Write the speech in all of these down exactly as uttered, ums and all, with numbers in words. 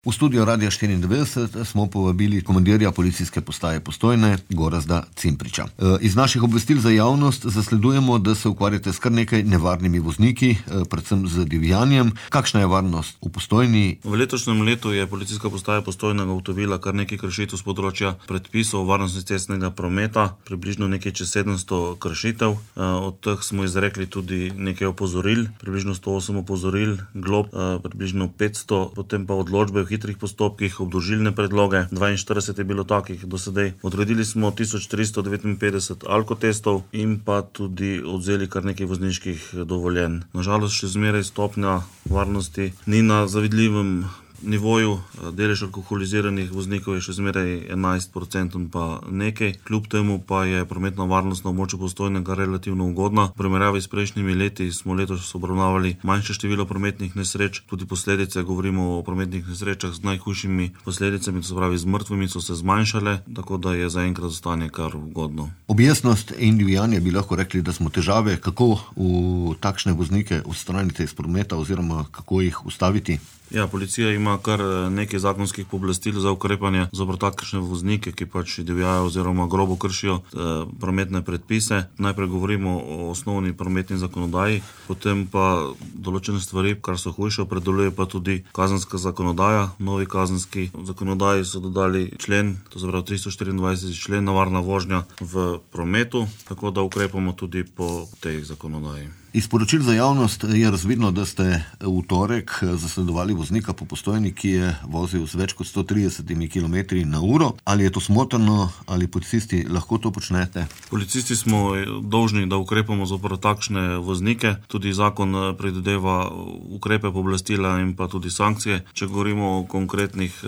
V studio Radia štiriindevetdeset smo povabili komandirja policijske postaje Postojne, Gorazda Cimpriča. Iz naših obvestil za javnost zasledujemo, da se ukvarjate s kar nekaj nevarnimi vozniki, predvsem z divjanjem. Kakšna je varnost v Postojni? V letošnjem letu je policijska postaja Postojna ugotovila kar nekaj kršitev s področja predpisov varnosti cestnega prometa, približno nekaj čez sedemsto kršitev. Od teh smo izrekli tudi nekaj opozoril, približno sto osem opozoril, glob približno petsto, potem pa odločbe v hitrih postopkih, obdolžilne predloge, dvainštirideset je bilo takih do sedaj. Odredili smo tisoč tristo devetinpetdeset alkotestov in pa tudi odzeli kar nekaj vozniških dovoljenj. Na žalost še zmeraj stopnja varnosti ni na zavidljivem nivoju, delež alkoholiziranih voznikov je še zmeraj enajst procentov pa nekaj. Kljub temu pa je prometna varnost na območju Postojnega relativno ugodna. V primerjavi s prejšnjimi leti smo letos obravnavali manjše število prometnih nesreč, tudi posledice, govorimo o prometnih nesrečah z najhujšimi posledicami, to se pravi z mrtvimi, so se zmanjšale, tako da je zaenkrat stanje kar ugodno. Objestnost in divjanje bi lahko rekli, da smo težave. Kako v takšne voznike odstraniti iz prometa oziroma kako jih ustaviti? Ja, policija ima kar nekaj zakonskih pooblastil za ukrepanje zoper takšne voznike, ki pač divjajo oziroma grobo kršijo eh, prometne predpise. Najprej govorimo o osnovni prometni zakonodaji, potem pa določene stvari, kar so hujše, opredeljuje pa tudi kazenska zakonodaja. Novi kazenski zakonodaji so dodali člen, to se pravi tristo štiriindvajseti člen, nevarna vožnja v prometu, tako da ukrepamo tudi po tej zakonodaji. Iz poročil za javnost je razvidno, da ste v torek zasledovali voznika po Postojni, ki je vozil z več kot sto tridesetimi kilometri na uro. Ali je to smotrno, ali policisti lahko to počnete? Policisti smo dolžni, da ukrepamo zoper takšne voznike. Tudi zakon predvideva ukrepe, pooblastila in pa tudi sankcije. Če govorimo o konkretnih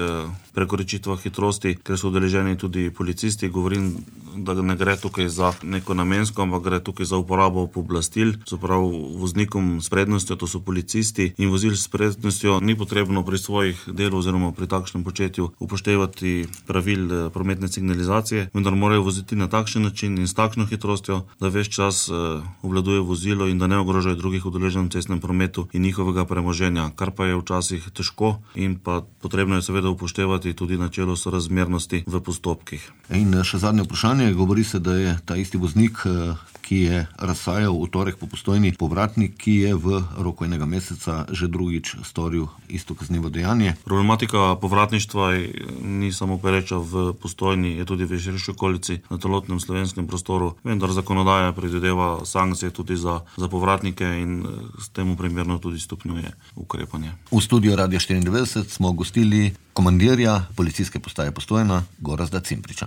prekoračitvah hitrosti, ker so udeleženi tudi policisti, govorim, da ne gre tukaj za neko namensko, ampak gre tukaj za uporabo pooblastil. So prav voznikom s prednostjo, to so policisti, in vozil s prednostjo ni potrebno pri svojih delu oziroma pri takšnem početju upoštevati pravil prometne signalizacije, vendar morajo voziti na takšen način in s takšno hitrostjo, da ves čas obvladuje vozilo in da ne ogrožajo drugih udeleženih v cestnem prometu in njihovega premoženja, kar pa je včasih težko in pa potrebno je seveda upoštevati tudi načelo sorazmernosti v postopkih. In še zadnje vprašanje, govori se, da je ta isti voznik, ki je razsajal v torek po Postojni, povratnik, ki je v roku enega meseca že drugič storil isto kaznivo dejanje. Problematika povratništva ni samo pereča v Postojni, je tudi v širši okolici na celotnem slovenskem prostoru, vendar zakonodaja predvideva sankcije tudi za, za povratnike in s temu primerno tudi stopnjuje ukrepanje. V studiu Radia štiriindevetdeset smo gostili komandirja policijske postaje Postojna, Gorazda Cimpriča.